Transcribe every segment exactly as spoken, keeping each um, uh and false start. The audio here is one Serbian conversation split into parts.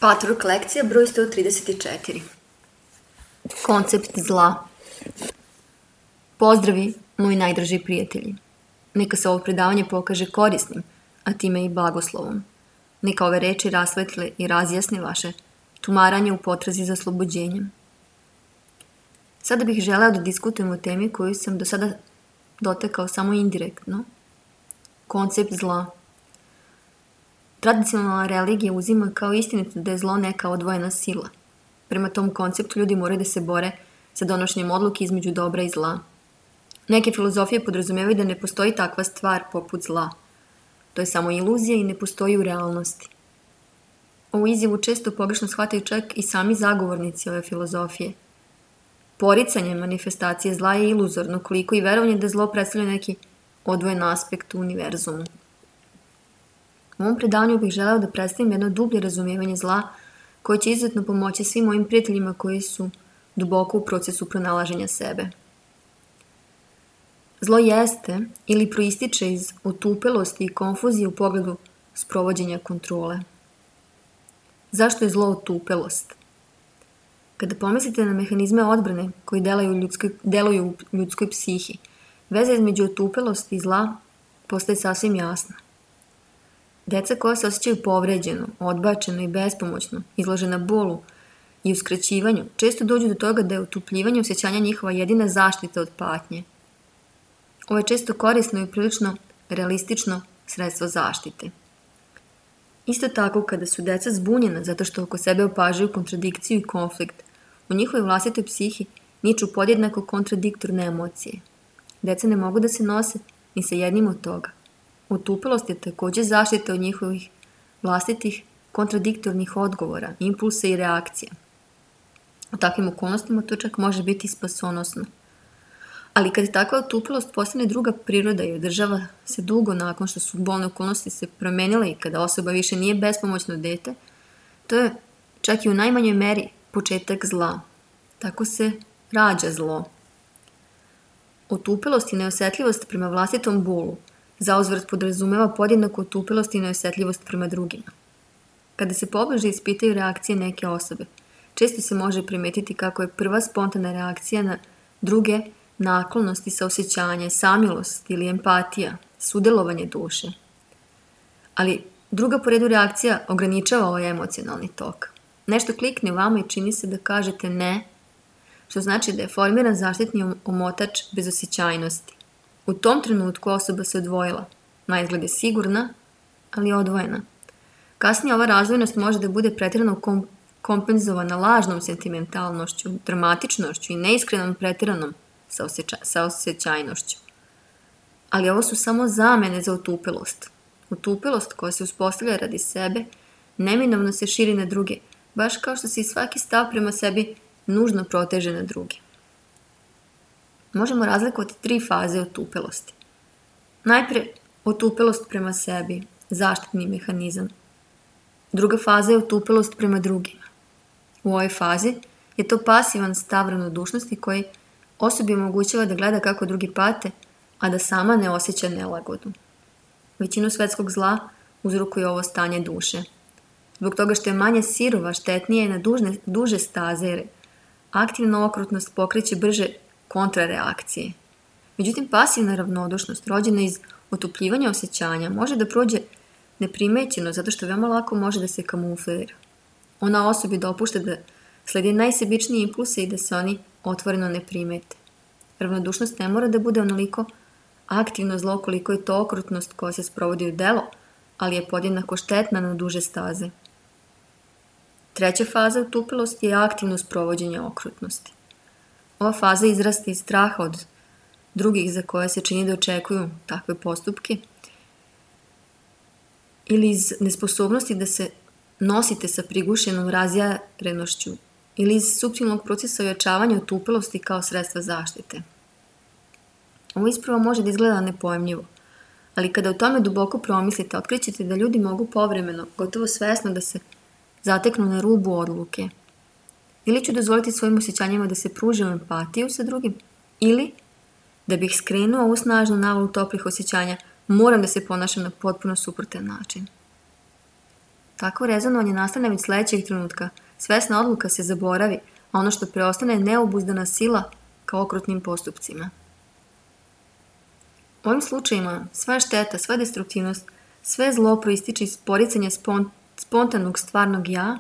Patchwork lekcija broj sto trideset četiri. Koncept zla. Pozdravi, moji najdraži prijatelji. Neka se ovo predavanje pokaže korisnim, a time i blagoslovom. Neka ove reči rasvetle i razjasne vaše tumaranje u potrazi za oslobođenjem. Sada bih želeo da diskutujem o temi koju sam do sada dotekao samo indirektno. Koncept zla. Tradicionalna religija uzima kao istinito da je zlo neka odvojena sila. Prema tom konceptu ljudi moraju da se bore sa donošenjem odluke između dobra i zla. Neke filozofije podrazumevaju da ne postoji takva stvar poput zla. To je samo iluzija i ne postoji u realnosti. Ovu izjavu često pogrešno shvataju čak i sami zagovornici ove filozofije. Poricanje manifestacije zla je iluzorno, koliko i verovanje da zlo predstavlja neki odvojen aspekt u univerzumu. U ovom predavanju bih želeo da predstavim jedno dublje razumijevanje zla koje će izuzetno pomoći svim mojim prijateljima koji su duboko u procesu pronalaženja sebe. Zlo jeste ili proističe iz otupelosti i konfuzije u pogledu sprovođenja kontrole. Zašto je zlo otupelost? Kada pomislite na mehanizme odbrane koji deluju u ljudskoj, deluju u ljudskoj psihi, veza između otupelosti i zla postaje sasvim jasna. Deca koja se osjećaju povređeno, odbačeno i bespomoćno, izložena bolu i uskraćivanju, često dođu do toga da je otupljivanje osjećanja njihova jedina zaštita od patnje. Ovo je često korisno i prilično realistično sredstvo zaštite. Isto tako, kada su deca zbunjena zato što oko sebe opažaju kontradikciju i konflikt, u njihovoj vlastitoj psihi niču podjednako kontradiktorne emocije. Deca ne mogu da se nose ni sa jednim od toga. Otupelost je također zaštita od njihovih vlastitih kontradiktornih odgovora, impulsa i reakcija. U takvim okolnostima to čak može biti spasonosno. Ali kad takva otupelost postane druga priroda i održava se dugo nakon što su bolne okolnosti se promenile i kada osoba više nije bespomoćno dete, to je čak i u najmanjoj meri početak zla. Tako se rađa zlo. Otupelost i neosjetljivost prema vlastitom bolu zauzvrat podrazumeva podjednaku otupelost i neosjetljivost prema drugima. Kada se pobliže ispitaju reakcije neke osobe, često se može primetiti kako je prva spontana reakcija na druge naklonosti, saosećanje, samilost ili empatija, sudelovanje duše. Ali druga po redu reakcija ograničava ovaj emocionalni tok. Nešto klikne u vama i čini se da kažete ne, što znači da je formiran zaštitni omotač bezosjećajnosti. U tom trenutku osoba se odvojila. Naizgled je sigurna, ali odvojena. Kasnije ova razdvojenost može da bude pretjerano kom- kompenzovana lažnom sentimentalnošću, dramatičnošću i neiskrenom pretjeranom saosjeća- saosjećajnošću. Ali ovo su samo zamene za otupelost. Otupelost koja se uspostavlja radi sebe neminovno se širi na druge, baš kao što se i svaki stav prema sebi nužno proteže na druge. Možemo razlikovati tri faze otupelosti. Najpre, otupelost prema sebi, zaštitni mehanizam. Druga faza je otupelost prema drugima. U ovoj fazi je to pasivan stav ravnodušnosti koji osobi omogućava da gleda kako drugi pate, a da sama ne osjeća nelagodu. Većinu svetskog zla uzrokuje ovo stanje duše. Zbog toga što je manje sirova, štetnije je na dužne, duže staze, jer aktivna okrutnost pokreće brže kontrareakcije. Međutim, pasivna ravnodušnost, rođena iz otupljivanja osjećanja, može da prođe neprimećeno zato što veoma lako može da se kamuflira. Ona osobi dopušta da sledi najsebičnije impulse i da se oni otvoreno ne primete. Ravnodušnost ne mora da bude onoliko aktivno zlo koliko je to okrutnost koja se sprovodi u delo, ali je podjednako štetna na duže staze. Treća faza otupelosti je aktivno sprovođenje okrutnosti. Ova faza izrasta iz straha od drugih za koje se čini da očekuju takve postupke ili iz nesposobnosti da se nosite sa prigušenom razjarenošću ili iz suptilnog procesa ojačavanja otupelosti kao sredstva zaštite. Ovo ispravo može da izgleda nepojmljivo, ali kada o tome duboko promislite, otkrićete da ljudi mogu povremeno, gotovo svesno da se zateknu na rubu odluke. Ili ću dozvoliti svojim osjećanjima da se pružim empatiju sa drugim, ili da bih skrenuo ovu snažnu navalu toplih osjećanja, moram da se ponašam na potpuno suprotan način. Tako rezonovanje nastane već sledećeg trenutka. Svesna odluka se zaboravi, a ono što preostane je neobuzdana sila ka okrutnim postupcima. U ovim slučajima sva šteta, sva destruktivnost, sve zlo proističe iz poricanja spon, spontanog stvarnog ja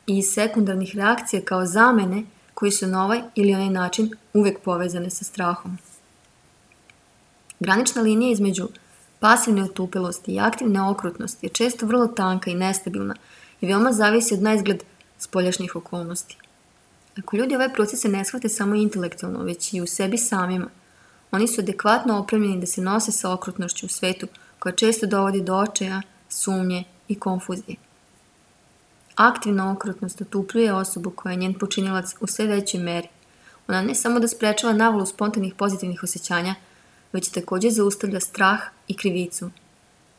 i iz sekundarnih reakcija kao zamene koji su na ovaj ili onaj način uvek povezane sa strahom. Granična linija između pasivne otupelosti i aktivne okrutnosti je često vrlo tanka i nestabilna i veoma zavisi od naizgled spoljašnjih okolnosti. Ako ljudi ove procese ne shvate samo intelektualno, već i u sebi samima, oni su adekvatno opremljeni da se nose sa okrutnošću u svetu koja često dovodi do očaja, sumnje i konfuzije. Aktivna okrutnost otupljuje osobu koja je njen počinilac u sve većoj meri. Ona ne samo da sprečava navalu spontanih pozitivnih osjećanja, već takođe zaustavlja strah i krivicu.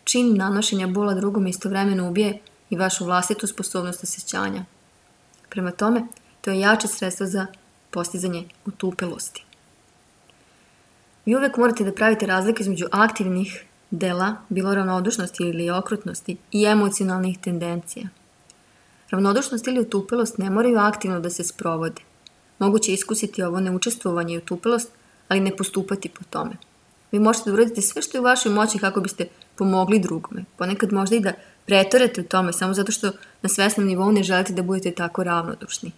Čin nanošenja bola drugom istovremeno ubije i vašu vlastitu sposobnost osjećanja. Prema tome, to je jače sredstvo za postizanje otupelosti. Vi uvek morate da pravite razliku između aktivnih dela, bilo ravnodušnosti ili okrutnosti, i emocionalnih tendencija. Ravnodušnost ili otupelost ne moraju aktivno da se sprovode. Moguće je iskusiti ovo neučestvovanje i otupelost, ali ne postupati po tome. Vi možete da uradite sve što je u vašoj moći kako biste pomogli drugome. Ponekad možda i da preterate u tome, samo zato što na svesnom nivou ne želite da budete tako ravnodušni.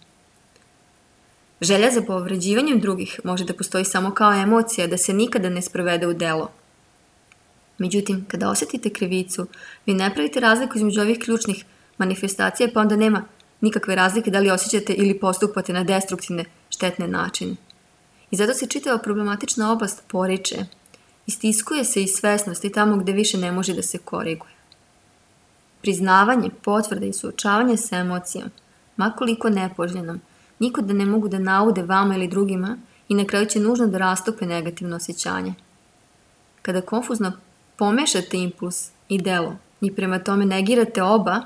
Želja za povređivanjem drugih može da postoji samo kao emocija, da se nikada ne sprovede u delo. Međutim, kada osjetite krivicu, vi ne pravite razliku između ovih ključnih manifestacija, pa onda nema nikakve razlike da li osjećate ili postupate na destruktivne, štetne načine. I zato se čitava problematična oblast poriče, istiskuje se iz svesnosti tamo gde više ne može da se koriguje. Priznavanje, potvrda i suočavanje sa emocijom, makoliko nepoželjenom, nikuda ne mogu da naude vama ili drugima i na kraju će nužno da rastope negativno osjećanje. Kada konfuzno pomešate impuls i delo i prema tome negirate oba,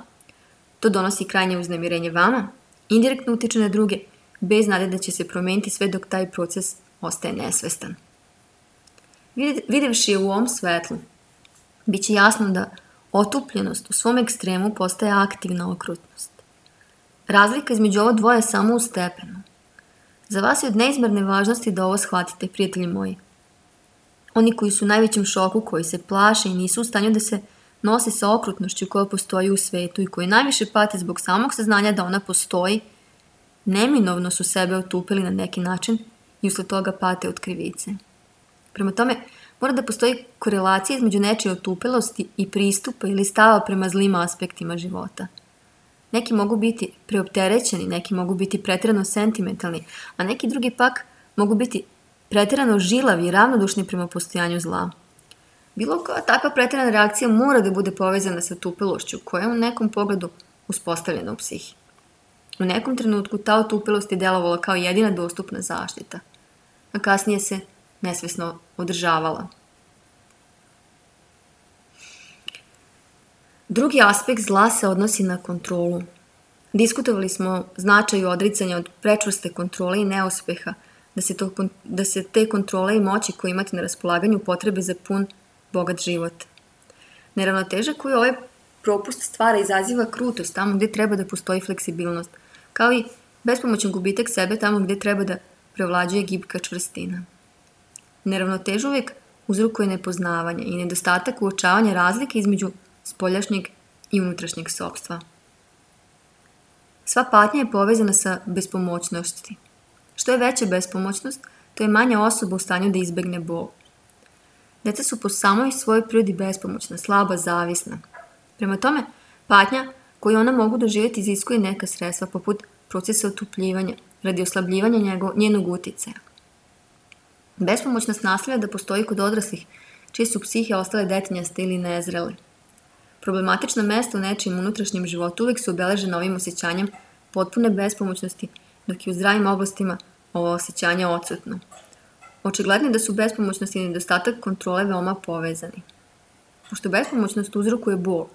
to donosi krajnje uznemirenje vama, indirektno utiče na druge, bez nade da će se promeniti sve dok taj proces ostaje nesvestan. Videvši je u ovom svetlu, bit će jasno da otupljenost u svom ekstremu postaje aktivna okrutnost. Razlika između ovo dvoje je samo u stepenu. Za vas je od neizmerne važnosti da ovo shvatite, prijatelji moji. Oni koji su u najvećem šoku, koji se plaše i nisu u stanju da se nose sa okrutnošću koja postoji u svetu i koji najviše pate zbog samog saznanja da ona postoji, neminovno su sebe otupili na neki način i usled toga pate od krivice. Prema tome, mora da postoji korelacija između nečije otupelosti i pristupa ili stava prema zlim aspektima života. Neki mogu biti preopterećeni, neki mogu biti preterano sentimentalni, a neki drugi pak mogu biti preterano žilavi i ravnodušni prema postojanju zla. Bilo koja takva preterana reakcija mora da bude povezana sa otupelošću koja je u nekom pogledu uspostavljena u psihi. U nekom trenutku ta otupelost je delovala kao jedina dostupna zaštita, a kasnije se nesvesno održavala. Drugi aspekt zla se odnosi na kontrolu. Diskutovali smo o značaju odricanja od prečvrste kontrole i neuspeha, da se, to, da se te kontrole i moći koje imate na raspolaganju potrebe za pun, bogat život. Neravnoteža koju ovaj propust stvara izaziva krutost tamo gde treba da postoji fleksibilnost, kao i bespomoćan gubitak sebe tamo gde treba da prevlađuje gibka čvrstina. Neravnoteža uvijek uzrokuje nepoznavanje i nedostatak uočavanja razlike između spoljašnjeg i unutrašnjeg sopstva. Sva patnja je povezana sa bespomoćnosti. Što je veća bespomoćnost, to je manja osoba u stanju da izbegne bol. Deca su po samoj svojoj prirodi bespomoćna, slaba, zavisna. Prema tome, patnja koju ona mogu doživjeti iziskuje neka sredstva poput procesa otupljivanja, radi oslabljivanja njego, njenog uticaja. Bespomoćnost nastavlja da postoji kod odraslih, čije su psihe ostale detinjaste ili nezrele. Problematična mesta u nečijem unutrašnjem životu uvijek su obeležena ovim osjećanjem potpune bespomoćnosti, dok je u zdravim oblastima ovo osjećanje odsutno. Očigledno je da su bespomoćnost i nedostatak kontrole veoma povezani. Pošto bespomoćnost uzrokuje bol,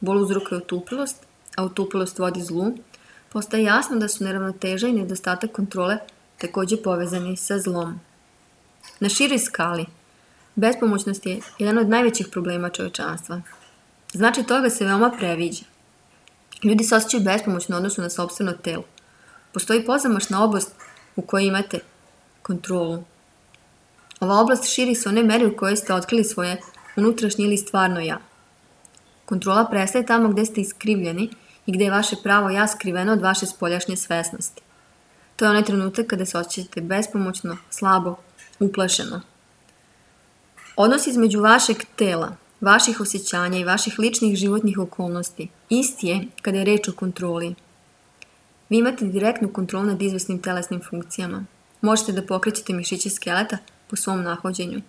bol uzrokuje otupilost, a otupilost vodi zlu, postaje jasno da su neravnoteža i nedostatak kontrole takođe povezani sa zlom. Na široj skali, bespomoćnost je jedan od najvećih problema čovečanstva. Znači toga se veoma previđa. Ljudi se osjećaju bespomoćno u odnosu na sopstveno telo. Postoji pozamašna oblast u kojoj imate kontrolu. Ova oblast širi se u one meri u kojoj ste otkrili svoje unutrašnje ili stvarno ja. Kontrola prestaje tamo gde ste iskrivljeni i gde je vaše pravo ja skriveno od vaše spoljašnje svesnosti. To je onaj trenutak kada se osjećate bespomoćno, slabo, uplašeno. Odnos između vašeg tela, vaših osjećanja i vaših ličnih životnih okolnosti isti je kada je reč o kontroli. Vi imate direktnu kontrolu nad izvesnim telesnim funkcijama. Možete da pokrećete mišiće skeleta po svom nahođenju.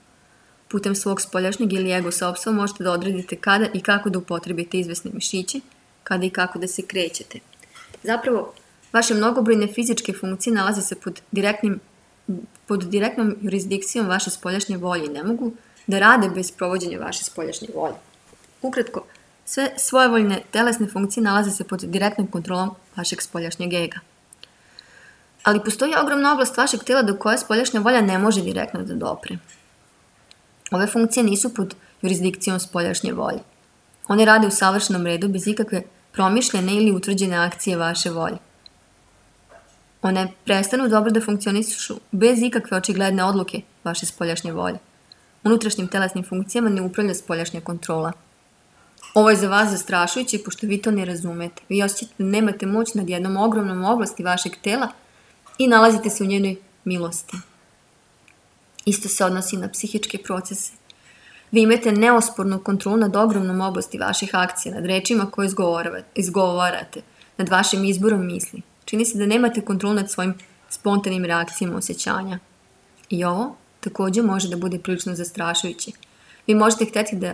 Putem svog spoljašnjeg ili ego sopstva možete da odredite kada i kako da upotrebite izvesne mišiće, kada i kako da se krećete. Zapravo, vaše mnogobrojne fizičke funkcije nalaze se pod, direktnim, pod direktnom jurisdikcijom vaše spoljašnje volje i ne mogu da rade bez provođenja vaše spoljašnje volje. Ukratko, sve svojevoljne telesne funkcije nalaze se pod direktnom kontrolom vašeg spoljašnjeg ega. Ali postoji ogromna oblast vašeg tela do koje spoljašnja volja ne može direktno da dopre. Ove funkcije nisu pod jurisdikcijom spoljašnje volje. One rade u savršenom redu bez ikakve promišljene ili utvrđene akcije vaše volje. One prestanu dobro da funkcionišu bez ikakve očigledne odluke vaše spoljašnje volje. Unutrašnjim telesnim funkcijama ne upravlja spoljašnja kontrola. Ovo je za vas zastrašujuće pošto vi to ne razumete. Vi osjećate da nemate moć nad jednom ogromnom oblasti vašeg tela i nalazite se u njenoj milosti. Isto se odnosi na psihičke procese. Vi imate neospornu kontrolu nad ogromnom oblasti vaših akcija, nad rečima koje izgovarate, nad vašim izborom misli. Čini se da nemate kontrolu nad svojim spontanim reakcijama osjećanja. I ovo također može da bude prilično zastrašujuće. Vi možete hteti da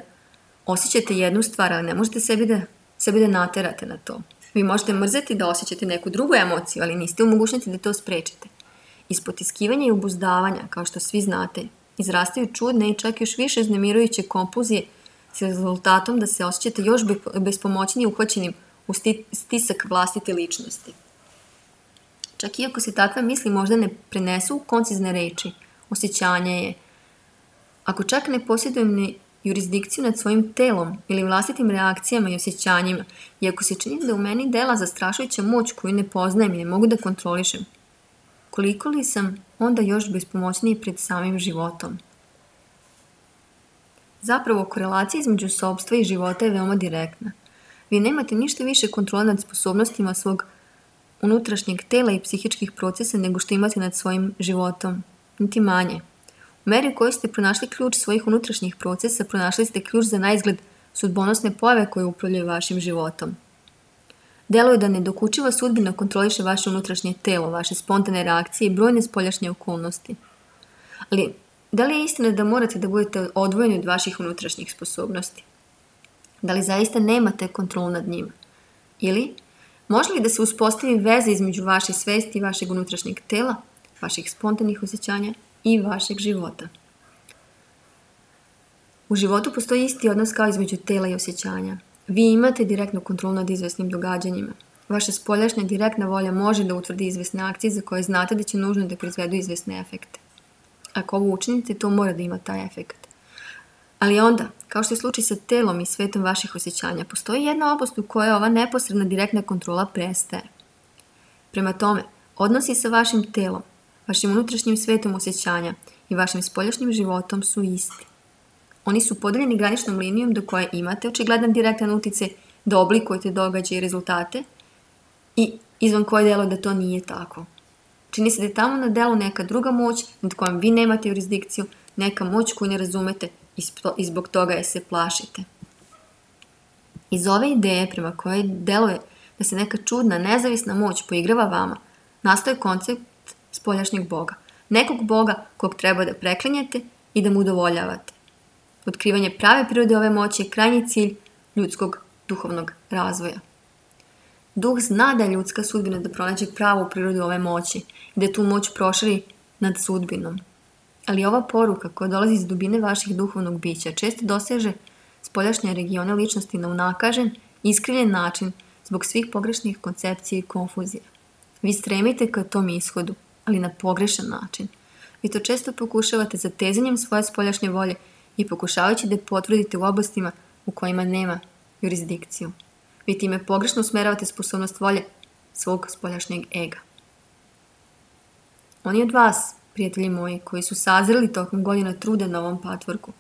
osjećate jednu stvar, ali ne možete sebi da, sebi da naterate na to. Vi možete mrzeti da osjećate neku drugu emociju, ali niste u mogućnosti da to sprečite. Iz potiskivanja i obuzdavanja, kao što svi znate, izrastaju čudne i čak još više uznemirujuće kompulzije s rezultatom da se osjećate još bespomoćnije uhvaćenim u stisak vlastite ličnosti. Čak iako se takve misli možda ne prenesu u koncizne reči, osjećanje je. Ako čak ne posjedujem ni jurisdikciju nad svojim telom ili vlastitim reakcijama i osjećanjima, i ako se čini da u meni dela zastrašujuća moć koju ne poznajem i ne mogu da kontrolišem, koliko li sam onda još bespomoćniji pred samim životom? Zapravo, korelacija između sopstva i života je veoma direktna. Vi nemate ništa više kontrole nad sposobnostima svog unutrašnjeg tela i psihičkih procesa nego što imate nad svojim životom, niti manje. U meri u kojoj ste pronašli ključ svojih unutrašnjih procesa, pronašli ste ključ za naizgled sudbonosne pojave koje upravljaju vašim životom. Deluje da nedokučiva sudbina kontroliše vaše unutrašnje telo, vaše spontane reakcije i brojne spoljašnje okolnosti. Ali, da li je istina da morate da budete odvojeni od vaših unutrašnjih sposobnosti? Da li zaista nemate kontrolu nad njima? Ili, može li da se uspostavi veza između vaše svesti i vašeg unutrašnjeg tela, vaših spontanih osjećanja i vašeg života? U životu postoji isti odnos kao između tela i osjećanja. Vi imate direktnu kontrolu nad izvesnim događanjima. Vaša spoljašnja direktna volja može da utvrdi izvesne akcije za koje znate da će nužno da proizvedu izvesne efekte. Ako ovo učinite, to mora da ima taj efekt. Ali onda, kao što je slučaj sa telom i svetom vaših osjećanja, postoji jedna oblast u kojoj ova neposredna direktna kontrola prestaje. Prema tome, odnosi sa vašim telom, vašim unutrašnjim svetom osjećanja i vašim spoljašnjim životom su isti. Oni su podeljeni graničnom linijom do koje imate očigledan direktan uticaj da oblikujete događaje i rezultate i izvan koje delo da to nije tako. Čini se da je tamo na delu neka druga moć nad kojom vi nemate jurisdikciju, neka moć koju ne razumete i zbog toga je se plašite. Iz ove ideje prema kojoj deluje da se neka čudna, nezavisna moć poigrava vama, nastaje koncept spoljašnjeg Boga. Nekog Boga kog treba da preklinjete i da mu udovoljavate. Otkrivanje prave prirode ove moći je krajnji cilj ljudskog duhovnog razvoja. Duh zna da je ljudska sudbina da pronađe pravu prirodu ove moći i da tu moć proširi nad sudbinom. Ali ova poruka koja dolazi iz dubine vaših duhovnog bića često doseže spoljašnje regione ličnosti na unakažen, iskrivljen način zbog svih pogrešnih koncepcija i konfuzija. Vi stremite ka tom ishodu, ali na pogrešan način. Vi to često pokušavate zatezanjem svoje spoljašnje volje i pokušavajući da potvrdite u oblastima u kojima nema jurisdikciju. Vi time pogrešno usmeravate sposobnost volje svog spoljašnjeg ega. Oni od vas, prijatelji moji, koji su sazreli tokom godina truda na ovom patvorku,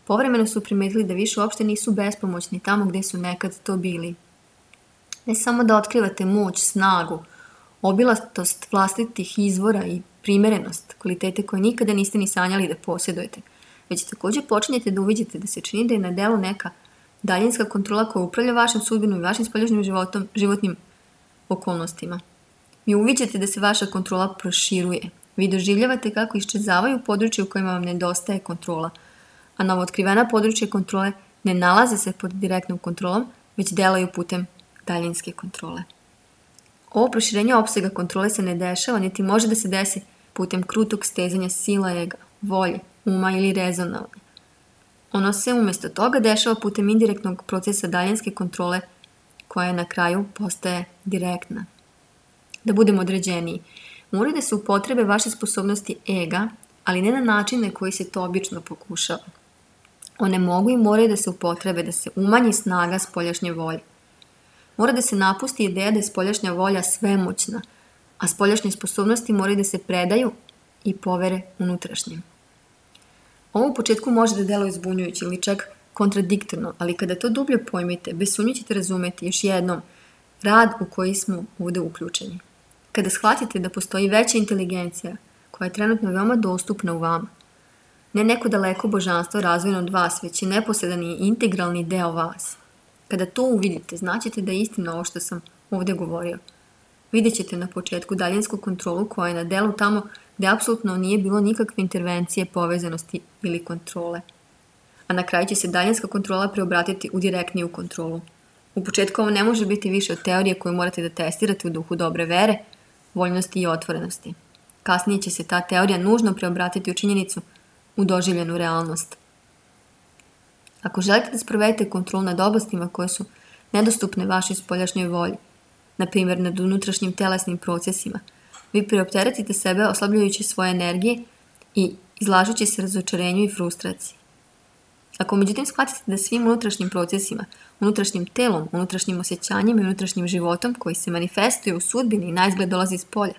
povremeno su primetili da više uopšte nisu bespomoćni tamo gde su nekad to bili. Ne samo da otkrivate moć, snagu, obilatost vlastitih izvora i primerenost, kvalitete koje nikada niste ni sanjali da posjedujete, već također počinjete da uviđate da se čini da je na delu neka daljinska kontrola koja upravlja vašim sudbinom i vašim spoljašnjim životom, životnim okolnostima. Vi uviđate da se vaša kontrola proširuje. Vi doživljavate kako iščezavaju područje u kojima vam nedostaje kontrola, a novootkrivena područja kontrole ne nalaze se pod direktnom kontrolom, već delaju putem daljinske kontrole. Ovo proširenje opsega kontrole se ne dešava, niti može da se desi putem krutog stezanja sila ega, volje, uma ili rezonovanja. Ono se umjesto toga dešava putem indirektnog procesa daljinske kontrole koja na kraju postaje direktna. Da budemo određeniji, moraju da se upotrebe vaše sposobnosti ega, ali ne na način na koji se to obično pokušava. One mogu i moraju da se upotrebe, da se umanji snaga spoljašnje volje. Mora da se napusti ideja da je spoljašnja volja svemoćna, a spoljašnje sposobnosti moraju da se predaju i povere unutrašnjim. Ovo u početku može da deluje zbunjujuće ili čak kontradiktorno, ali kada to dublje pojmite, bez sumnje ćete razumeti još jednom rad u koji smo ovde uključeni. Kada shvatite da postoji veća inteligencija koja je trenutno veoma dostupna u vama, ne neko daleko božanstvo razvojeno od vas, već je neposredan i integralni deo vas. Kada to uvidite, znaćete da je istina ovo što sam ovdje govorio. Vidjet ćete na početku daljinsku kontrolu koja je na delu tamo gdje apsolutno nije bilo nikakve intervencije, povezanosti ili kontrole. A na kraju će se daljinska kontrola preobratiti u direktniju kontrolu. U početku ovo ne može biti više od teorije koju morate da testirate u duhu dobre vere, voljnosti i otvorenosti. Kasnije će se ta teorija nužno preobratiti u činjenicu u doživljenu realnost. Ako želite da sprovedete kontrolu nad oblastima koje su nedostupne vašoj spoljašnjoj volji, na primjer nad unutrašnjim telesnim procesima, vi preopteretite sebe oslabljujući svoje energije i izlažući se razočarenju i frustraciji. Ako međutim shvatite da svim unutrašnjim procesima, unutrašnjim telom, unutrašnjim osjećanjem i unutrašnjim životom koji se manifestuje u sudbini i naizgled dolazi iz polja,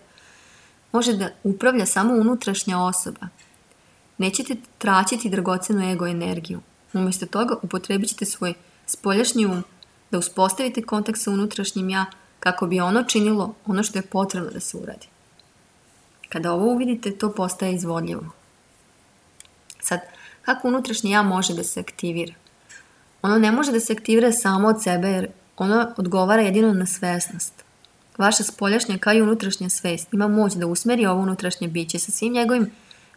može da upravlja samo unutrašnja osoba, nećete traćiti dragocenu ego energiju. Umjesto toga upotrebit ćete svoj spoljašnji um da uspostavite kontakt sa unutrašnjim ja kako bi ono činilo ono što je potrebno da se uradi. Kada ovo uvidite, to postaje izvodljivo. Sad, kako unutrašnje ja može da se aktivira? Ono ne može da se aktivira samo od sebe jer ono odgovara jedino na svesnost. Vaša spoljašnja kao i unutrašnja svest ima moć da usmeri ovo unutrašnje biće sa svim njegovim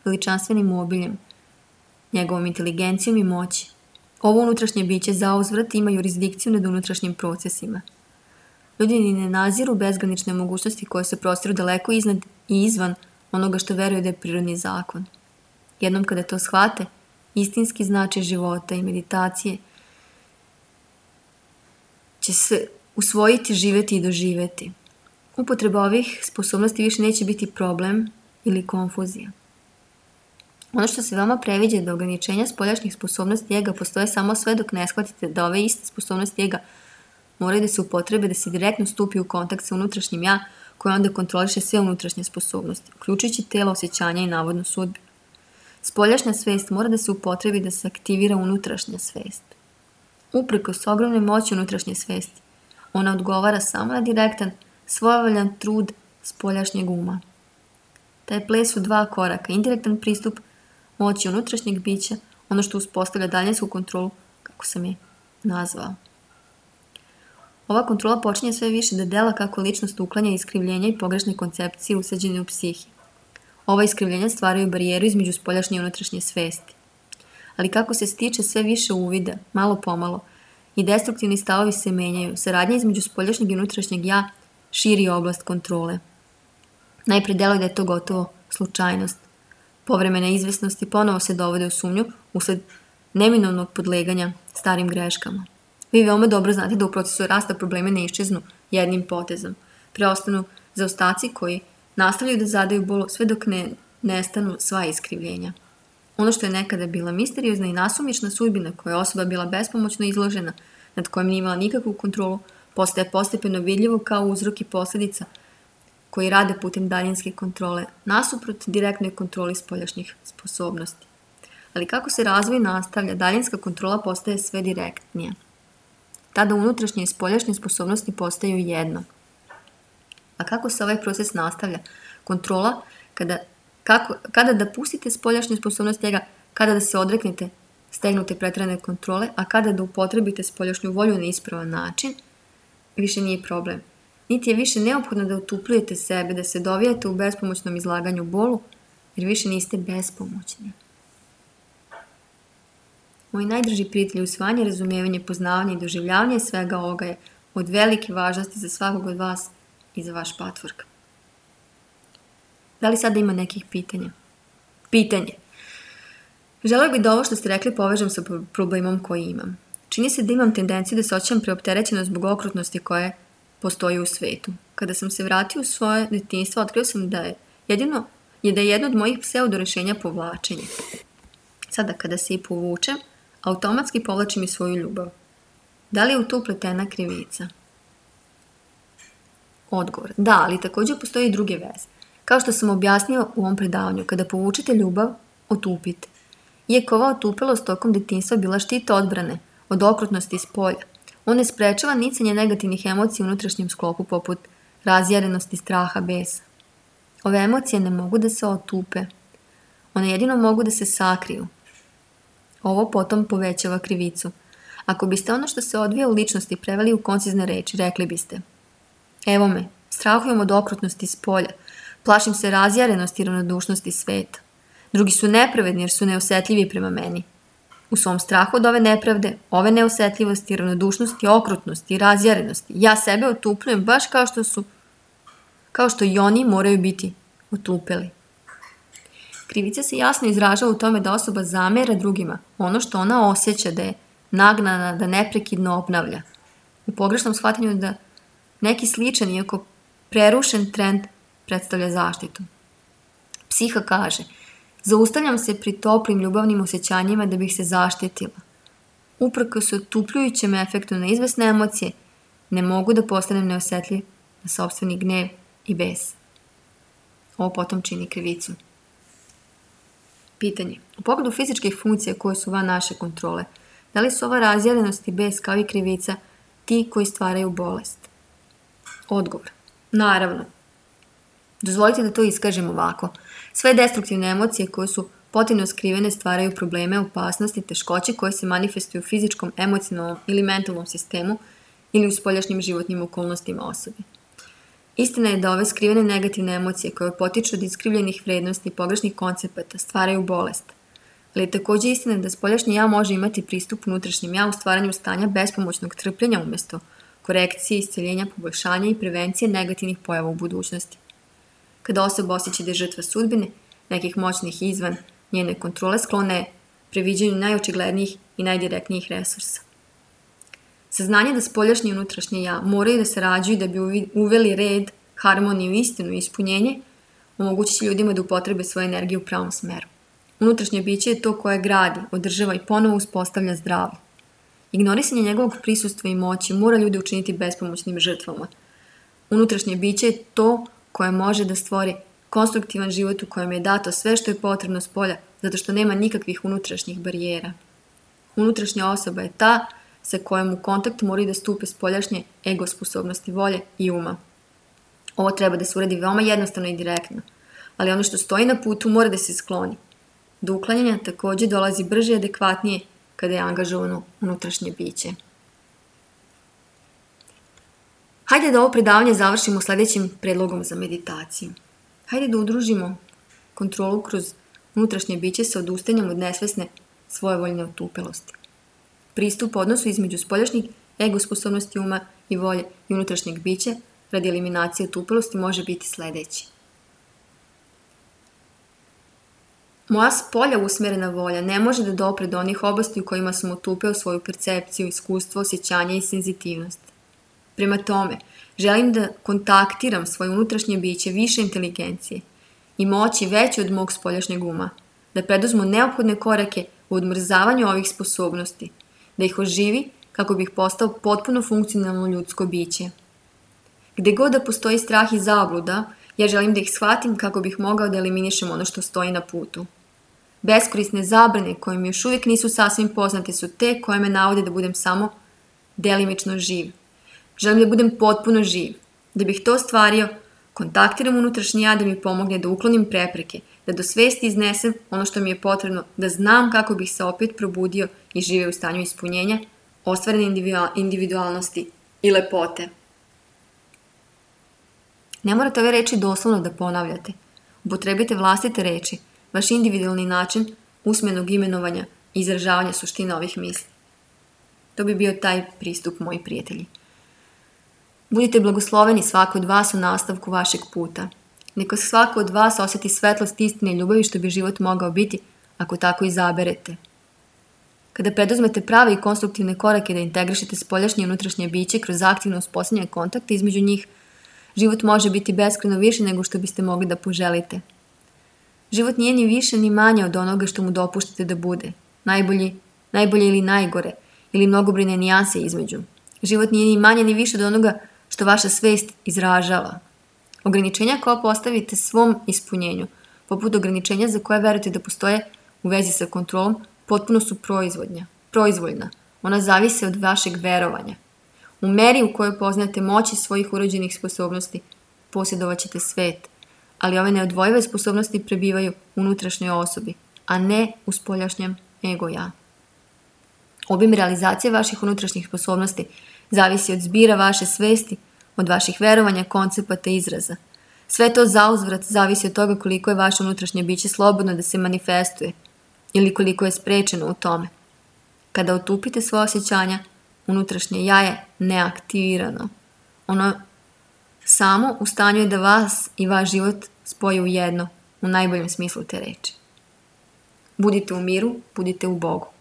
veličanstvenim obiljem, njegovom inteligencijom i moći. Ovo unutrašnje biće zauzvrat ima jurisdikciju nad unutrašnjim procesima. Ljudi ni ne naziru bezgranične mogućnosti koje se prostiru daleko iznad i izvan onoga što veruju da je prirodni zakon. Jednom kada to shvate, istinski značaj života i meditacije će se usvojiti, živeti i doživeti. Upotreba ovih sposobnosti više neće biti problem ili konfuzija. Ono što se vama previđa da ograničenja spoljašnjih sposobnosti ega postoje samo sve dok ne shvatite da ove iste sposobnosti ega moraju da se upotrebe da se direktno stupi u kontakt sa unutrašnjim ja koje onda kontroliše sve unutrašnje sposobnosti, uključujući telo, osjećanja i navodnu sudbinu. Spoljašnja svest mora da se upotrebi da se aktivira unutrašnja svest. Uprkos ogromne moći unutrašnje svesti, ona odgovara samo na direktan, svojevoljan trud spoljašnjeg uma. Taj ples su dva koraka, indirektan pristup moći unutrašnjeg bića, ono što uspostavlja daljinsku kontrolu, kako sam je nazvao. Ova kontrola počinje sve više da dela kako ličnost uklanja iskrivljenja i pogrešne koncepcije usađene u psihi. Ova iskrivljenja stvaraju barijeru između spoljašnje i unutrašnje svesti. Ali kako se stiče sve više uvida, malo pomalo, i destruktivni stavovi se menjaju, saradnja između spoljašnjeg i unutrašnjeg ja širi oblast kontrole. Najpre deluje da je to gotovo slučajnost. Povremene izvesnosti ponovo se dovode u sumnju usled neminovnog podleganja starim greškama. Vi veoma dobro znate da u procesu rasta probleme ne iščeznu jednim potezom. Preostanu zaostaci koji nastavljaju da zadaju bol sve dok ne nestanu sva iskrivljenja. Ono što je nekada bila misteriozna i nasumična sudbina koja je osoba bila bespomoćno izložena, nad kojom nije imala nikakvu kontrolu, postaje postepeno vidljivo kao uzrok i posljedica koji rade putem daljinske kontrole, nasuprot direktnoj kontroli spoljašnjih sposobnosti. Ali kako se razvoj nastavlja, daljinska kontrola postaje sve direktnija. Tada unutrašnje i spoljašnje sposobnosti postaju jedno. A kako se ovaj proces nastavlja? Kontrola, kada, kako, kada da pustite spoljašnje sposobnosti njega, kada da se odreknete stegnute pretrane kontrole, a kada da upotrebite spoljašnju volju na ispravan način, više nije problem. Niti je više neophodno da utupljujete sebe, da se dovijate u bespomoćnom izlaganju bolu, jer više niste bespomoćni. Moji najdrži prijatelji, usvajanje, razumijevanje, poznavanje i doživljavanje svega ovoga je od velike važnosti za svakog od vas i za vaš patvork. Da li sada ima nekih pitanja? Pitanje. Želeo bih da ovo što ste rekli povežem sa problemom koji imam. Čini se da imam tendenciju da se osjećam preopterećeno zbog okrutnosti koje postoji u svetu. Kada sam se vratio u svoje detinjstvo, otkrio sam da je jedino je da je jedno od mojih pseudo rešenja povlačenje. Sada kada se i povučem, automatski povlačim i svoju ljubav. Da li je u to upletena krivica? Odgovor. Da, ali također postoji i druge veze. Kao što sam objasnio u ovom predavanju, kada povučete ljubav, otupite. Iako ova otupelost tokom detinjstva bila štita odbrane od okrutnosti iz polja, on ne sprečava nicanje negativnih emocija u unutrašnjem sklopu poput razjarenosti, straha, besa. Ove emocije ne mogu da se otupe. One jedino mogu da se sakriju. Ovo potom povećava krivicu. Ako biste ono što se odvija u ličnosti preveli u koncizne reči, rekli biste: evo me, strahujem od okrutnosti iz polja, plašim se razjarenosti i ravnodušnosti sveta. Drugi su nepravedni jer su neosjetljivi prema meni. U svom strahu od ove nepravde, ove neosjetljivosti, ravnodušnosti, okrutnosti i razjarenosti, ja sebe otupljujem baš kao što su, kao što i oni moraju biti otupeli. Krivica se jasno izražava u tome da osoba zamera drugima ono što ona osjeća da je nagnana da neprekidno obnavlja. U pogrešnom shvatanju da neki sličan, iako prerušen trend predstavlja zaštitu. Psiha kaže: zaustavljam se pri toplim ljubavnim osjećanjima da bih se zaštitila. Uprkos otupljujućem efektu na izvesne emocije, ne mogu da postanem neosjetljiv na sopstveni gnev i bes. Ovo potom čini krivicu. Pitanje. U pogledu fizičkih funkcija koje su van naše kontrole, da li su ova razjarenost i bes kao i krivica ti koji stvaraju bolest? Odgovor. Naravno. Dozvolite da to iskažem ovako. Sve destruktivne emocije koje su potpuno skrivene stvaraju probleme, opasnosti, teškoće koje se manifestuju u fizičkom, emocionalnom ili mentalnom sistemu ili u spoljašnjim životnim okolnostima osobe. Istina je da ove skrivene negativne emocije koje potiču od iskrivljenih vrednosti i pogrešnih koncepata stvaraju bolest. Ali je također istina da spoljašnji ja može imati pristup unutrašnjem ja u stvaranju stanja bespomoćnog trpljenja umjesto korekcije, isceljenja, poboljšanja i prevencije negativnih pojava u budućnosti. Kada osoba osjeća da je žrtva sudbine, nekih moćnih izvan njene kontrole, sklone je previđanju najočiglednijih i najdirektnijih resursa. Saznanje da spoljašnje i unutrašnje ja moraju da sarađuju da bi uveli red, harmoniju, istinu i ispunjenje, omogućit će ljudima da upotrebe svoju energiju u pravom smeru. Unutrašnje biće je to koje gradi, održava i ponovo uspostavlja zdravlje. Ignorisanje njegovog prisustva i moći mora ljude učiniti bespomoćnim žrtvama. Unutrašnje biće je to koje može da stvori konstruktivan život u kojem je dato sve što je potrebno s polja, zato što nema nikakvih unutrašnjih barijera. Unutrašnja osoba je ta sa kojom u kontakt moraju da stupe spoljašnje ego sposobnosti volje i uma. Ovo treba da se uradi veoma jednostavno i direktno, ali ono što stoji na putu mora da se skloni. Do uklanjanja također dolazi brže i adekvatnije kada je angažovano unutrašnje biće. Hajde da ovo predavanje završimo sljedećim predlogom za meditaciju. Hajde da udružimo kontrolu kroz unutrašnje biće sa odustajanjem od nesvesne svojevoljne otupelosti. Pristup odnosu između spoljašnjih ego sposobnosti uma i volje i unutrašnjeg bića radi eliminacije otupelosti može biti sljedeći. Moja spolja usmjerena volja ne može da dopre do onih oblasti u kojima sam otupeo svoju percepciju, iskustvo, osjećanje i senzitivnost. Prema tome, želim da kontaktiram svoje unutrašnje biće više inteligencije i moći veće od mog spoljašnjeg uma, da preduzmu neophodne korake u odmrzavanju ovih sposobnosti, da ih oživi kako bih postao potpuno funkcionalno ljudsko biće. Gde god da postoji strah i zabluda, ja želim da ih shvatim kako bih mogao da eliminišem ono što stoji na putu. Beskorisne zabrane koje mi još uvijek nisu sasvim poznate su te koje me navode da budem samo delimično živ. Želim da budem potpuno živ. Da bih to ostvario, kontaktiram unutrašnji ja da mi pomogne da uklonim prepreke, da do svesti iznesem ono što mi je potrebno, da znam kako bih se opet probudio i živeo u stanju ispunjenja, ostvarene individualnosti i lepote. Ne morate ove reči doslovno da ponavljate. Upotrebite vlastite reči, vaš individualni način usmenog imenovanja i izražavanja suštine ovih misli. To bi bio taj pristup, moji prijatelji. Budite blagosloveni svako od vas u nastavku vašeg puta. Neka svako od vas osjeti svetlost istine i ljubavi što bi život mogao biti ako tako izaberete. Kada preduzmete prave i konstruktivne korake da integrišete spoljašnje i unutrašnje biće kroz aktivno uspostavljanje kontakta između njih, život može biti beskrajno više nego što biste mogli da poželite. Život nije ni više ni manje od onoga što mu dopuštate da bude. Najbolji, najbolje ili najgore, ili mnogobrojne nijanse između. Život nije ni manje ni više od onoga što vaša svest izražava. Ograničenja koja postavite svom ispunjenju, poput ograničenja za koje verujete da postoje u vezi sa kontrolom, potpuno su proizvodnja, proizvoljna. Ona zavise od vašeg verovanja. U meri u kojoj poznate moći svojih urođenih sposobnosti, posjedovat ćete svet, ali ove neodvojive sposobnosti prebivaju u unutrašnjoj osobi, a ne u spoljašnjem ego-ja. Obim realizacije vaših unutrašnjih sposobnosti zavisi od zbira vaše svesti, od vaših verovanja, koncepata i izraza. Sve to zauzvrat zavisi od toga koliko je vaše unutrašnje biće slobodno da se manifestuje ili koliko je sprečeno u tome. Kada otupite svoje osjećanja, unutrašnje ja je neaktivirano. Ono samo u stanju je da vas i vaš život spoji u jedno, u najboljem smislu te reči. Budite u miru, budite u Bogu.